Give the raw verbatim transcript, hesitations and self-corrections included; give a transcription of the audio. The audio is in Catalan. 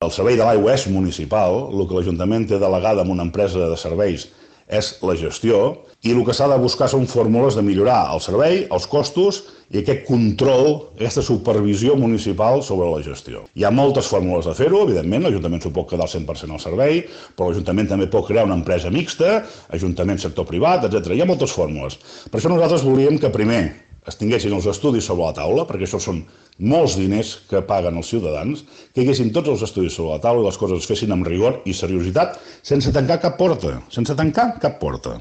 El servei de l'aigua és municipal, el que l'Ajuntament té delegada en una empresa de serveis és la gestió, i el que s'ha de buscar són fórmules de millorar el servei, els costos i aquest control, aquesta supervisió municipal sobre la gestió. Hi ha moltes fórmules de fer-ho, evidentment, l'Ajuntament s'ho pot quedar al cent per cent al servei, però l'Ajuntament també pot crear una empresa mixta, Ajuntament, sector privat, etcètera. Hi ha moltes fórmules. Per això nosaltres volíem que primer es tinguessin els estudis sobre la taula, perquè això són molts diners que paguen els ciutadans, que hi haguessin tots els estudis sobre la taula i les coses es fessin amb rigor i seriositat, sense tancar cap porta, sense tancar cap porta.